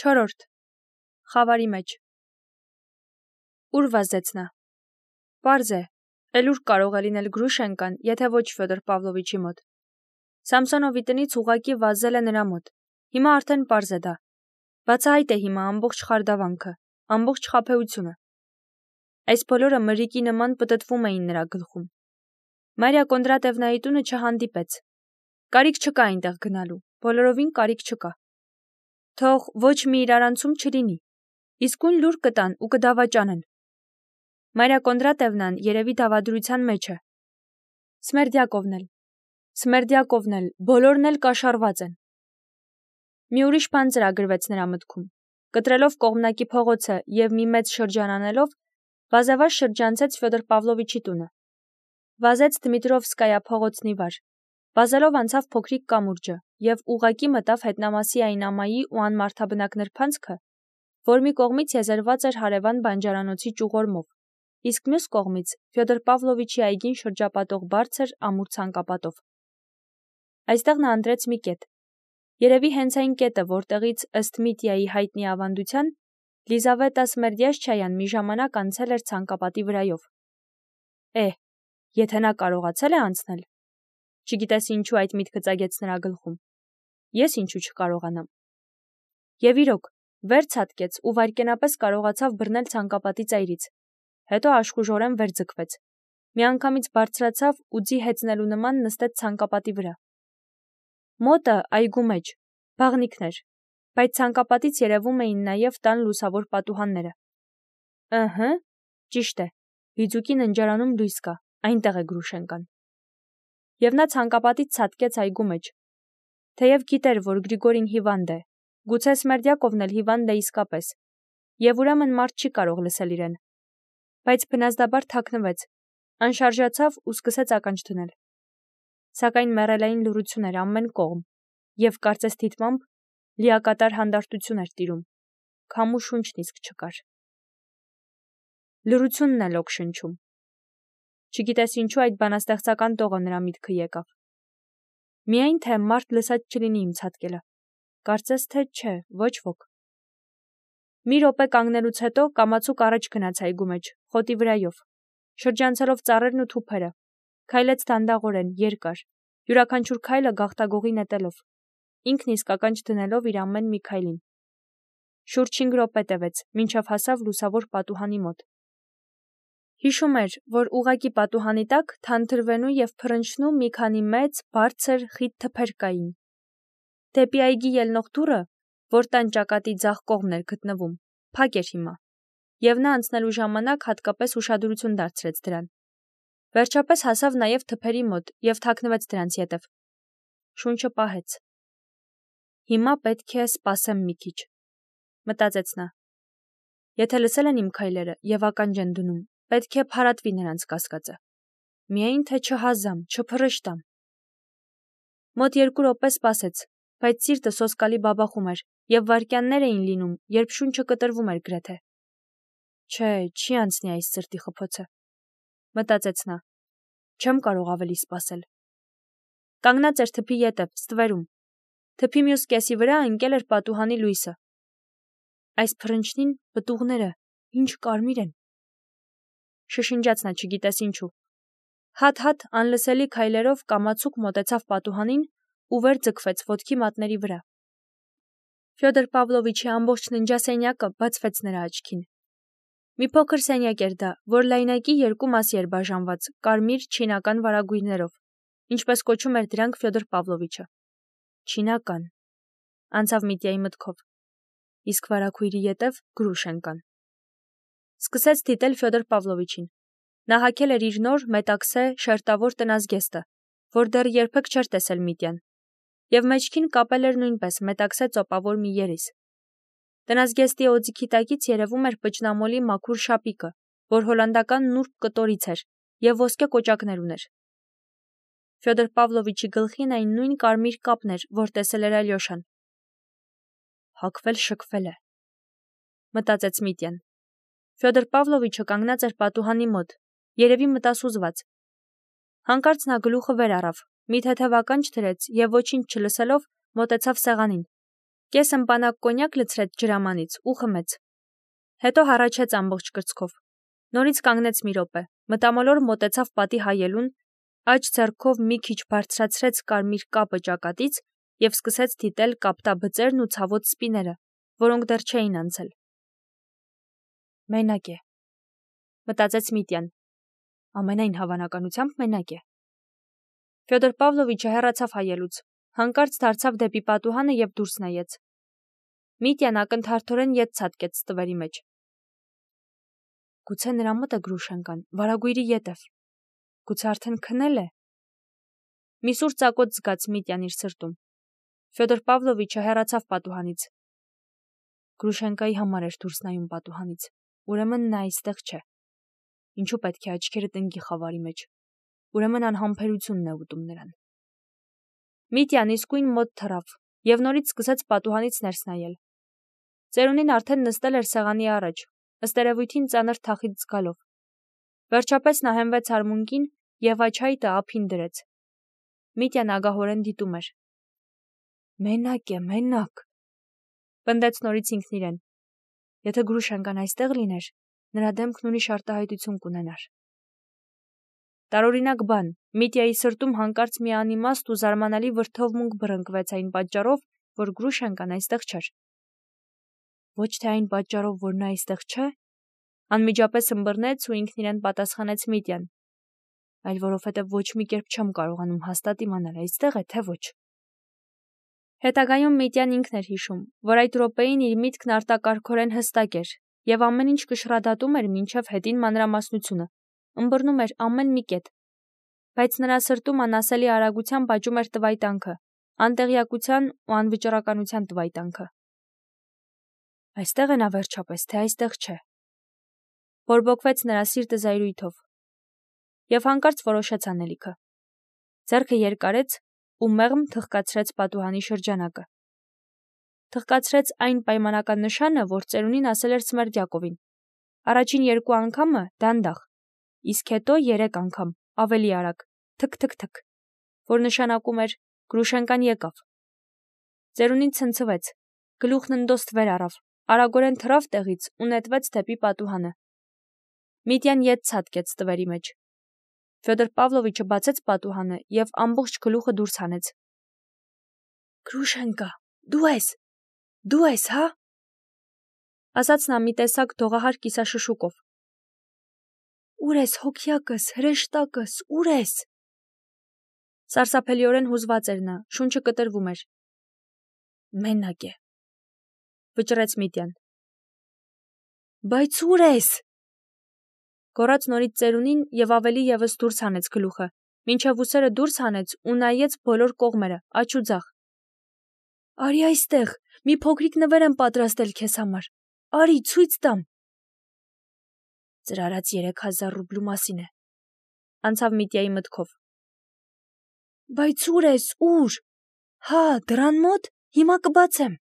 4. Խավարի մեջ։ Ուր վազեց նա։ Պարզ է, էլ ուր կարող է լինել Գրուշենկան, եթե ոչ Ֆյոդոր Պավլովիչի մոտ։ Սամսոնովի տնից ուղղակի վազել է նրա մոտ։ Հիմա արդեն պարզ է դա։ Բացահայտ է հիմա ամբողջ խարդավանքը, ամբողջ խաբեությունը։ Այս բոլորը մրրիկի նման պտտվում էին նրա գլխում։ Մարիա Կոնդրատևնայի տունը չհանդիպեց։ Կարիք չկա այնտեղ գնալու, բոլորովին կարիք չկա։ Թող ոչ մի իրարանցում չլինի, իսկույն լուր կտան ու կդավաճանեն։ Մարիա Կոնդրատևնան երևի դավադրության մեջ է։ Սմերդյակովն էլ, բոլորն էլ կաշառված են։ Մի ուրիշ բան ծրագրվեց նրա մտքում։ Կտրելով կողմնակի փողոցը և մի մեծ շրջան անելով, վազավար շրջանցեց Ֆյոդոր Պավլովիչի տունը։ Վազեց Դմիտրովսկայա փողոցն ի վար։ Վազելով անցավ փոքրիկ կամուրջը և ուղղակի մտավ հետնամասի այնամայի ու անմարդաբնակ նրբանցքը, որ մի կողմից եզերված էր հարևան բանջարանոցի ճյուղորմով, իսկ մյուս կողմից Ֆյոդոր Պավլովիչի այգին շրջապատող բարձր ամուր ցանկապատով։ Այստեղ նա ընտրեց մի կետ։ Երևի հենց այն կետը, որտեղից ըստ Միտյայի հայտնի ավանդության Լիզավետա Սմերդյաշչայան մի ժամանակ անցել էր ցանկապատի վրայով։ Եթե նա կարողացել է անցնել, չգիտես ինչու այդ միտքը ծագեց նրա գլխում, ես ինչու չկարողանամ։ Եվ իրոք, վեր ցատկեց ու վայրկենապես կարողացավ բռնել ցանկապատի ծայրից, հետո աշխուժորեն վեր ձգվեց, միանգամից բարձրացավ ու ձի հեծնելու նման նստեց ցանկապատի վրա։ Մոտը այգու մեջ, բաղնիքներ, բայց ցանկապատից երևում էին նաև տան լուսավոր պատուհանները։ Ճիշտ է, Բիձուկի ննջարանում լույս կա, այնտեղ է Գրուշենկան։ Եվ նա ցանկապատից ցատկեց այգու մեջ։ Թեև գիտեր, որ Գրիգորին հիվանդ է, գուցե Սմերդյակովն էլ հիվանդ է իսկապես, և ուրեմն մարդ չի կարող լսել իրեն։ Բայց բնազդաբար թաքնվեց, անշարժացավ ու սկսեց ականջ դնել։ Սակայն մեռելային լռություն էր ամեն կողմ, և կարծես դիտմամբ լիակատար հանդարտություն էր տիրում, քամու շունչն իսկ չկար։ Լռությունն էլ օգշնչում։ Չգիտես ինչու այդ բանաստեղծական տողը նրա միտքը եկավ։ Միայն թե մարդ լսած չլինի իմ ցատկելը, կարծես թե չէ, ոչ ոք։ Մի րոպե կանգնելուց հետո կամացուկ առաջ գնաց այգու մեջ, խոտի վրայով, շրջանցելով ծառերն ու թուփերը, քայլեց դանդաղորեն, երկար, յուրաքանչյուր քայլը գաղտագողի նետելով, ինքն իսկ ականջ դնելով իր ամեն մի քայլին։ Շուրջ 5 րոպե տևեց, մինչև հասավ լուսավոր պատուհանի մոտ։ Հիշում էր, որ ուղղակի պատուհանի տակ թանթրվենու և փռնչնու մի քանի մեծ, բարձր, խիտ թփեր կային։ Դեպի այգի ելնող դուռը, որ տան ճակատի ձախ կողմն էր գտնվում, փակ էր հիմա, և նա անցնելու ժամանակ հատկապես ուշադրություն դարձրեց դրան։ Վերջապես հասավ նաև թփերի մոտ և թաքնվեց դրանց ետև։ Շունչը պահեց։ Հիմա պետք է սպասեմ մի քիչ, մտածեց նա։ Եթե լսել են իմ քայլերը և ականջ են դնում, պետք է փարատվի նրանց կասկածը։ Միայն թե չհազամ, չփռշտամ։ Մոտ 2 րոպե սպասեց, բայց սիրտը սոսկալի բաբախում էր, և վայրկյաններ էին լինում, երբ շունչը կտրվում էր գրեթե։ Չէ, չի անցնի այս սրտի խփոցը, մտածեց նա։ Չեմ կարող ավելի սպասել։ Կանգնած էր թփի ետև, ստվերում։ Թփի մյուս կեսի վրա ընկել էր պատուհանի լույսը։ Այս փռնչնին պտուղները ինչ կարմիր են։ Շշնջաց նա չգիտես ինչու։ Հատ-հատ անլսելի քայլերով կամացուկ մոտեցավ պատուհանին ու վեր ձգվեց ոտքի մատների վրա։ Ֆյոդոր Պավլովիչի ամբողջ ննջասենյակը բացվեց նրա աչքին։ Մի փոքր սենյակ էր դա, որ լայնակի 2 մասի էր բաժանված կարմիր չինական վարագույրներով, ինչպես կոչում էր դրանք Ֆյոդոր Պավլովիչը։ Չինական, անցավ Միտյայի մտքով, իսկ վարագույրի ետև Գրուշենկան։ Սկսեց դիտել Ֆյոդոր Պավլովիչին։ Նա հագել էր իր նոր մետաքսե շերտավոր տնազգեստը, որ դեռ երբեք չէր տեսել Միտյան, և մեջքին կապել էր նույնպես մետաքսե ծոպավոր մի երիս։ Տնազգեստի օձիքի տակից երևում էր պճնամոլի մաքուր շապիկը, որ հոլանդական նուրբ կտորից էր և ոսկե կոճակներ ուներ։ Ֆյոդոր Պավլովիչի գլխին այն նույն կարմիր կապն էր, որ տեսել էր Ալյոշան։ Հագվել-շքվել է, մտածեց Միտյան։ Ֆյոդոր Պավլովիչը կանգնած էր պատուհանի մոտ, երևի մտասուզված։ Հանկարծ նա գլուխը վեր առավ, մի թեթև ականջ դրեց և ոչինչ չլսելով մոտեցավ սեղանին։ Կես ըմպանակ կոնյակ լցրեց ջրամանից ու խմեց։ Հետո հառաչեց ամբողջ կրծքով։ Նորից կանգնեց մի րոպե, մտամոլոր մոտեցավ պատի հայելուն, աջ ձեռքով մի քիչ բարձրացրեց կարմիր կապը ճակատից և սկսեց դիտել կապտաբծերն ու ցավոտ սպիները, որոնք դեռ չէին անցել։ Մենակ է, մտածեց Միտյան։ Ամենայն հավանականությամբ մենակ է։ Ֆյոդոր Պավլովիչը հեռացավ հայելուց, հանկարծ դարձավ դեպի պատուհանը և դուրս նայեց։ Միտյան ակնթարթորեն ետ ցատկեց ստվերի մեջ։ Գուցե նրա մոտ է Գրուշենկան, վարագույրի ետև։ Գուցե արդեն քնել է։ Մի սուր ծակոտ զգաց Միտյան իր սրտում։ Ֆյոդոր Պավլովիչը հեռացավ պատուհանից։ Գրուշենկայի համար էր դուրս նայում պատուհանից։ Ուրեմն նա այստեղ չէ։ Ինչու պետք է աչքերը տնկի խավարի մեջ։ Ուրեմն անհամբերությունն է ուտում նրան։ Միտյան իսկույն մոտ թռավ և նորից սկսեց պատուհանից ներս նայել։ Ծերունին արդեն նստել էր սեղանի առաջ, ըստ երևույթին ծանր թախիծ զգալով։ Վերջապես նա հենվեց արմունկին և աչայտը ափին դրեց։ Միտյան ագահորեն դիտում էր։ Մենակ է, մենակ, պնդեց նորից ինքն իրեն։ Եթե Գրուշենկան այստեղ լիներ, նրա դեմքն ուրիշ արտահայտություն կունենար։ Տարօրինակ բան, Միտյայի սրտում հանկարծ մի անիմաստ ու զարմանալի վրդովմունք բռնկվեց այն պատճառով, որ Գրուշենկան այստեղ չէր։ Ոչ թե այն պատճառով, որ նա այստեղ չէ, անմիջապես ըմբռնեց ու ինքն իրեն պատասխանեց Միտյան, այլ որովհետև ոչ մի կերպ չեմ կարողանում հաստատ իմանալ այստեղ է, թե ոչ։ Հետագայում Միտյան ինքն էր հիշում, որ այդ րոպեին իր միտքն արտակարգորեն հստակ էր և ամեն ինչ կշռադատում էր մինչև հետին մանրամասնությունը, ըմբռնում էր ամեն մի կետ, բայց նրա սրտում անասելի արագությամբ աճում էր տվայտանքը, անտեղյակության ու անվճռականության տվայտանքը։ Այստեղ է նա վերջապես, թե այստեղ չէ։ Բորբոքվեց նրա սիրտը զայրույթով և հանկարծ որոշեց անելիքը։ Ձեռքը երկարեց ու մեղմ թխկացրեց պատուհանի շրջանակը։ Թխկացրեց այն պայմանական նշանը, որ ծերունին ասել էր Սմերդյակովին։ Առաջին 2 անգամը դանդաղ, իսկ հետո 3 անգամ ավելի արագ, թք-թք-թք, որ նշանակում էր Գրուշենկան եկավ։ Ծերունին ցնցվեց, գլուխն ընդոստ վեր առավ, արագորեն թռավ տեղից ու նետվեց դեպի պատուհանը։ Միտյան ետ ցատկեց ստվերի մեջ։ Ֆյոդոր Պավլովիչը բացեց պատուհանը և ամբողջ գլուխը դուրս հանեց։ Գրուշենկա, դու ես, հա՞, ասաց նա մի տեսակ դողահար կիսաշշուկով։ Ուր ես, հոգյակս, հրեշտակս, ուր ես։ Սարսափելիորեն հուզված էր նա, շունչը կտրվում էր։ Մենակ է, վճռեց Միտյան։ Բայց ուր ես։ Գոռաց նորից ծերունին և ավելի ևս դուրս հանեց գլուխը, մինչև ուսերը դուրս հանեց ու նայեց բոլոր կողմերը, աջ ու ձախ։ Արի այստեղ, մի փոքրիկ նվեր եմ պատրաստել քեզ համար։ Արի, ցույց տամ։ Ձեր արած 3000 ռուբլու մասին է, անցավ Միտյայի մտքով։ Բայց ուր ես, ուր։ Հա, դռան մոտ, հիմա կբացեմ։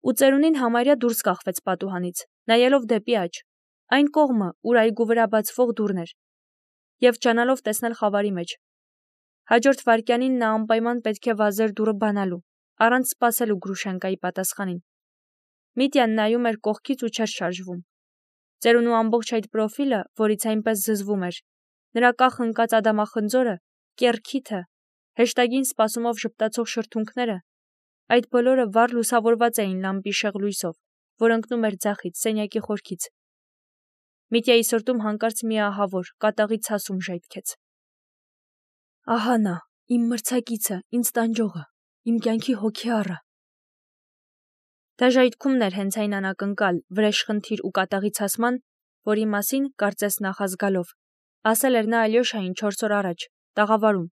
Ու ծերունին համարյա դուրս կախվեց պատուհանից, նայելով դեպի աջ, այն կողմը, ուր այգու վրա բացվող դուռն էր, և ջանալով տեսնել խավարի մեջ։ Հաջորդ վայրկյանին նա անպայման պետք է վազեր դուռը բանալու, առանց սպասելու Գրուշենկայի պատասխանին։ Միտյան նայում էր կողքից ու չէր շարժվում։ Ծերունու ամբողջ այդ պրոֆիլը, որից այնպես զզվում էր, նրա կախ ընկած ադամախնձորը, կեռ քիթը, հեշտագին սպասումով ժպտացող շրթունքները, այդ բոլորը վառ լուսավորված էին լամպի շեղ լույսով, որ ընկնում էր ձախից, սենյակի խորքից։ Միտյայի սրտում հանկարծ մի ահավոր, կատաղի ցասում ժայթքեց։ Ահա նա, իմ մրցակիցը, ինձ տանջողը, իմ կյանքի հոգեառը։ Դա ժայթքումն էր հենց այն անակնկալ, վրեժխնդիր ու կատաղի ցասման, որի մասին, կարծես նախազգալով, ասել էր նա Ալյոշային 4 օր առաջ, տաղավարում,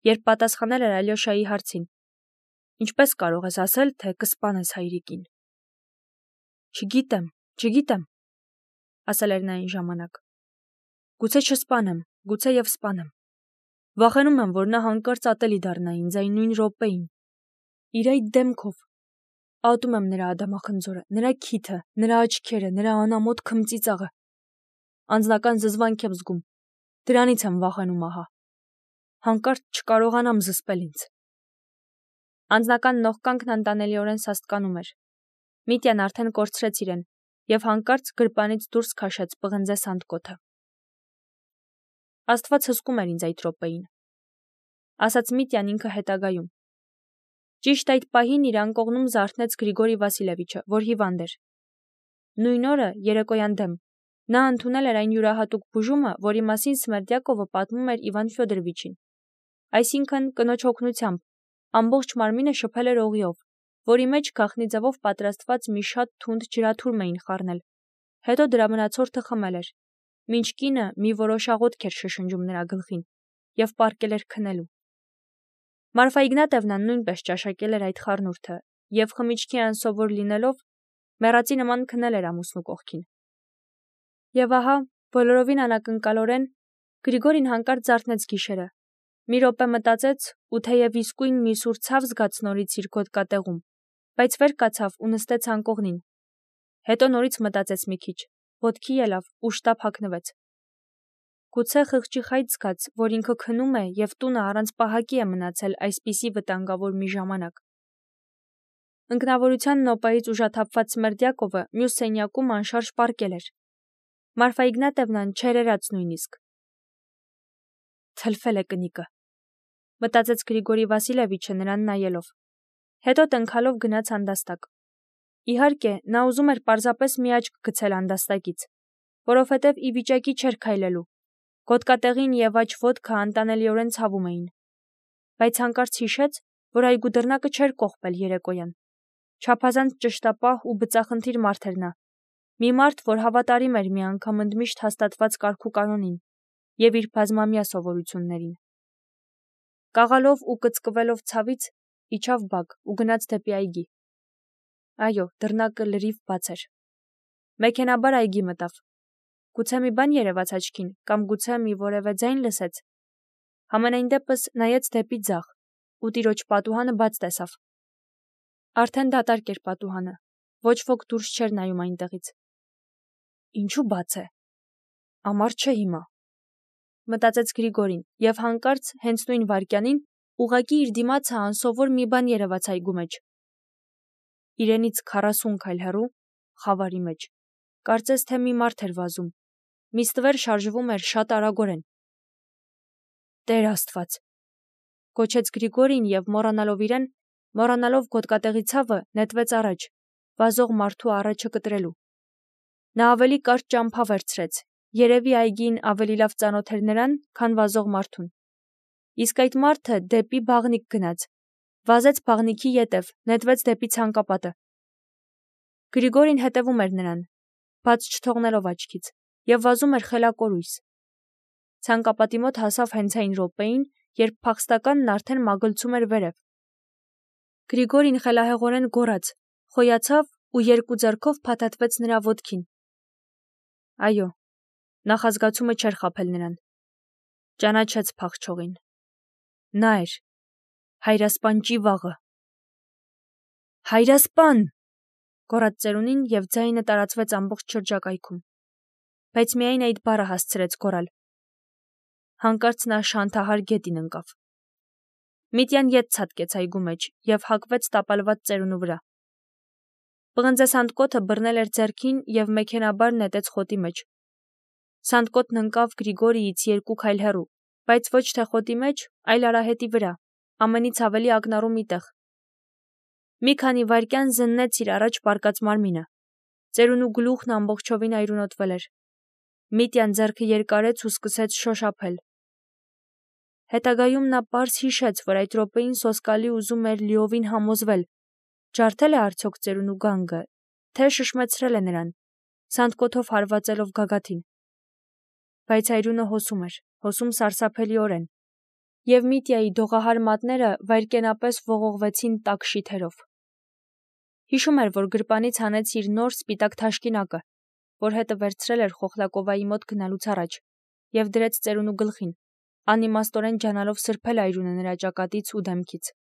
երբ պատասխանել էր Ալյոշայի հարցին. Ինչպես կարող ես ասել, թե կսպանես հայրիկին։ Չգիտեմ, ասել էր նա այն ժամանակ։ Գուցե չսպանեմ, գուցե և սպանեմ։ Վախենում եմ, որ նա հանկարծ ատելի դառնա ինձ այն նույն րոպեին։ Իր այդ դեմքով։ Ատում եմ նրա ադամախնձորը, նրա քիթը, նրա աչքերը, նրա անամոթ քմծիծաղը։ Անձնական զզվանք եմ զգում։ Դրանից եմ վախենում ահա։ Հանկարծ չկարողանամ զսպել ինձ։ Անձնական նողկանքն անտանելիորեն սաստկանում էր։ Միտյան արդեն կորցրեց իրեն և հանկարծ գրպանից դուրս քաշեց պղնձե սանդկոթը։ Աստված հսկում էր ինձ այդ րոպեին, ասաց Միտյան ինքը հետագայում։ Ճիշտ այդ պահին իր անկողնում զարթնեց Գրիգորի Վասիլևիչը, որ հիվանդ էր։ Նույն օրը, երեկոյան դեմ, նա ընդունել էր այն յուրահատուկ բուժումը, որի մասին Սմերդյակովը պատմում էր Իվան Ֆյոդորովիչին։ Այսինքն, կնոջ օգնությամբ, ամբողջ մարմինը շփել էր օղիով, որի մեջ գաղտնի ձևով պատրաստված մի շատ թունդ ջրաթուրմ էին խառնել, հետո դրա մնացորդը խմել էր, մինչ կինը մի որոշ աղոթք էր շշնջում նրա գլխին և պառկել էր քնելու։ Մարֆա Իգնատևնան նույնպես ճաշակել էր այդ խառնուրդը և խմիչքի անսովոր լինելով, մեռածի նման քնել էր ամուսնու կողքին։ Եվ ահա, բոլորովին անակնկալորեն, Գրիգորին հանկարծ զարթնեց գիշերը։ Մի րոպե մտածեց ու թեև իսկույն մի սուր ցավ զգաց նորից իր գոտկատեղում, բայց վեր կացավ ու նստեց անկողնին։ Հետո նորից մտածեց մի քիչ, ոտքի ելավ ու շտապ հագնվեց։ Գուցե խղճի խայտ զգաց, որ ինքը քնում է և տունը առանց պահակի է մնացել այսպիսի վտանգավոր մի ժամանակ։ Ընկնավորության նոպայից ուժաթափված Սմերդյակովը մյուս սենյակում անշարժ պառկել էր։ Մարֆա Իգնատևնան չերերաց նույնիսկ։ Թլֆել է կնիկը, մտածեց Գրիգորի Վասիլևիչը նրան նայելով։ Հետո տնքալով գնաց հանդաստակ։ Իհարկե, նա ուզում էր պարզապես մի աչք գցել հանդաստակից, որովհետև ի վիճակի չէր քայլելու։ Գոտկատեղին և աջ ոտքը անտանելիորեն ցավում էին։ Բայց հանկարծ հիշեց, որ այգու դռնակը չէր կողպել երեկոյան։ Չափազանց ճշտապահ ու բծախնդիր մարդ էր նա։ Մի մարդ, որ հավատարիմ էր մի անգամ ընդմիշտ հաստատված կարգուկանոնին և իր բազմամյա սովորություններին։ Կաղալով ու կծկվելով ցավից իջավ բակ ու գնաց դեպի այգի։ Այո, դռնակը լրիվ բաց էր։ Մեքենաբար այգի մտավ։ Գուցե մի բան երևաց աչքին, կամ գուցե մի որևէ ձայն լսեց։ Համենայն դեպս նայեց դեպի ձախ ու տիրոջ պատուհանը բաց տեսավ։ Արդեն դատարկ էր պատուհանը, ոչ ոք դուրս չէր նայում այնտեղից։ Ինչու բաց է։ Ամառ չէ հիմա, մտածեց Գրիգորին, և հանկարծ հենց նույն վայրկյանին ուղղակի իր դիմացը անսովոր մի բան երևաց այգու մեջ։ Իրենից 40 քայլ հեռու, խավարի մեջ, կարծես թե մի մարդ էր վազում, մի ստվեր շարժվում էր շատ արագորեն։ Տեր Աստված, գոչեց Գրիգորին և մոռանալով իրեն, մոռանալով գոտկատեղի ցավը, նետվեց առաջ, վազող մարդու առաջը կտրելու։ Նա ավելի կարճ ճամփա վերցրեց, երևի այգին ավելի լավ ծանոթ էր նրան, քան վազող մարդուն։ Իսկ այդ մարդը դեպի բաղնիք գնաց, վազեց բաղնիքի ետև, նետվեց դեպի ցանկապատը։ Գրիգորին հետևում էր նրան, բաց չթողնելով աչքից, և վազում էր խելակորույս։ Ցանկապատի մոտ հասավ հենց այն րոպեին, երբ փախստականն արդեն մագլցում էր վերև։ Գրիգորին խելահեղորեն գոռաց, խոյացավ ու երկու ձեռքով փաթաթվեց նրա ոտքին։ Այո, նախազգացումը չէր խաբել նրան։ Ճանաչեց փախչողին։ Նա էր, հայրասպան Ճիվաղը։ Հայրասպան, գոռաց ծերունին և ձայնը տարածվեց ամբողջ շրջակայքում։ Բայց միայն այդ բառը հասցրեց գոռալ։ Հանկարծ նա շանթահար գետին ընկավ։ Միտյան ետ ցատկեց այգու մեջ և հակվեց տապալված ծերունու վրա։ Պղնձե սանդկոթը բռնել էր ձեռքին և մեքենաբար նետեց խոտի մեջ։ Սանդկոթն ընկավ Գրիգորիից 2 քայլ հեռու, բայց ոչ թե խոտի մեջ, այլ արահետի վրա, ամենից ավելի ակնառու մի տեղ։ Մի քանի վայրկյան զննեց իր առաջ պառկած մարմինը։ Ծերունու գլուխն ամբողջովին այրունոտվել էր։ Միտյան ձեռքը երկարեց ու սկսեց շոշափել։ Հետագայում նա պարզ հիշեց, որ այդ րոպեին սոսկալի ուզում էր լիովին համոզվել, ջարդել է արդյոք ծերունու գանգը, թե շշմեցրել է նրան, սանդկոթով հարվածելով գագաթին։ Բայց այրունը հոսում էր, հոսում սարսափելիորեն, և Միտյայի դողահար մատները վայրկենապես ողողվեցին տաք շիթերով։ Հիշում էր, որ գրպանից հանեց իր նոր սպիտակ թաշկինակը, որ հետը վերցրել էր Խոխլակովայի մոտ գնալուց առաջ, և դրեց ծերունու գլխին, անիմաստորեն ջանալով սրբել այրունը նրա ճակատից ու դեմքից։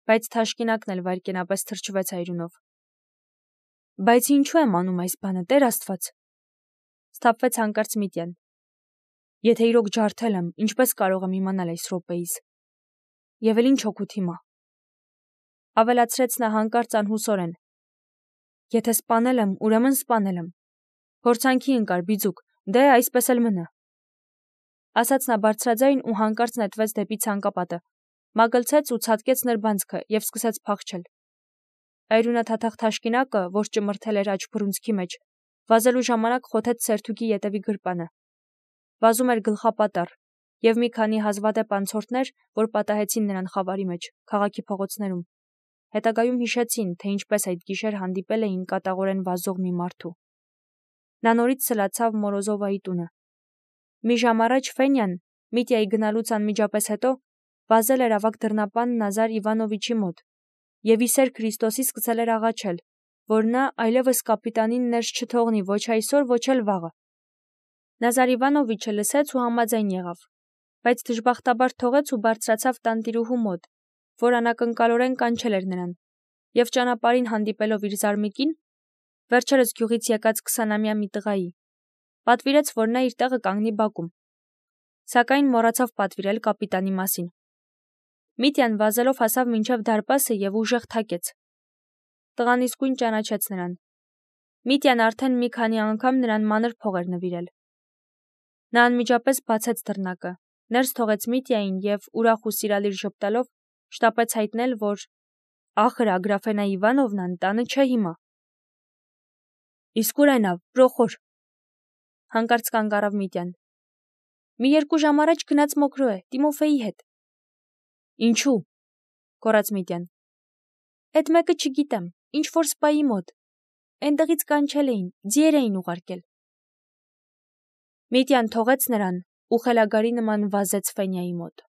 Բայց թաշկինակն էլ վայրկենապես թրջվեց այրունով։ Բայց ինչու եմ անում այս բանը, Տեր Աստված, սթափվեց հանկարծ Միտյան։ Եթե իրոք ջարդել եմ, ինչպես կարող եմ իմանալ այս րոպեիս։ Եվ էլ ինչ օգուտ հիմա։ ավելացրեց նա հանկարծ անհուսորեն. Եթե սպանել եմ, ուրեմն սպանել եմ։ Փորձանքի ընկար, բիձուկ, դե այսպես էլ մնա։ Ասաց նա բարձրաձայն ու հանկարծ նետվեց դեպի ցանկապատը, մագլցեց ու ցատկեց նրբանցքը և սկսեց փախչել։ Այրունաթաթախ թաշկինակը, որ ճմրթել էր աջ բռունցքի մեջ, վազելու ժամանակ խոթեց սերթուկի ետևի գրպանը։ Վազում էր գլխապատառ, և մի քանի հազվադեպ անցորդներ, որ պատահեցին նրան խավարի մեջ, քաղաքի փողոցներում, հետագայում հիշեցին, թե ինչպես այդ գիշեր հանդիպել էին կատաղորեն վազող մի մարդու։ Նա նորից սլացավ Մորոզովայի տունը։ Մի ժամ առաջ Ֆենյան, Միտյայի գնալուց անմիջապես հետո, վազել էր ավագ դռնապան Նազար Իվանովիչի մոտ և իսեր Քրիստոսի սկսել էր աղաչել, որ նա այլևս կապիտանին ներս չթողնի ոչ այսօր, ոչ էլ վաղը։ Նազար Իվանովիչը լսեց ու համաձայն եղավ, բայց դժբախտաբար թողեց ու բարձրացավ տանտիրուհու մոտ, որ անակնկալորեն կանչել էր նրան, և ճանապարհին հանդիպելով իր զարմիկին, վերջերս գյուղից եկած 20-ամյա մի տղայի, պատվիրեց, որ նա իր տեղը կանգնի բակում, սակայն մոռացավ պատվիրել կապիտանի մասին։ Միտյան վազելով հասավ մինչև դարպասը և ուժեղ թակեց։ Տղան իսկույն ճանաչեց նրան։ Միտյան արդեն մի քանի անգամ նրան մանր փող էր նվիրել։ Նա անմիջապես բացեց դռնակը, ներս թողեց Միտյային և, ուրախ ու սիրալիր ժպտալով, շտապեց հայտնել, որ ախր Ագրաֆենա Իվանովնան տանը չէ հիմա։ Իսկ ուր է նա, Պրոխոր, հանկարծ կանգ առավ Միտյան։ Մի 2 ժամ առաջ գնաց Մոկրո է, Տիմոֆեի հետ։ Ինչու՞, գոռաց Միտյան։ Էդ մեկը չգիտեմ, ինչ որ սպայի մոտ։ Էնտեղից կանչել էին, ձիեր էին ուղարկել։ Միտյան թողեց նրան ու խելագարի նման վազեց Ֆենյայի մոտ։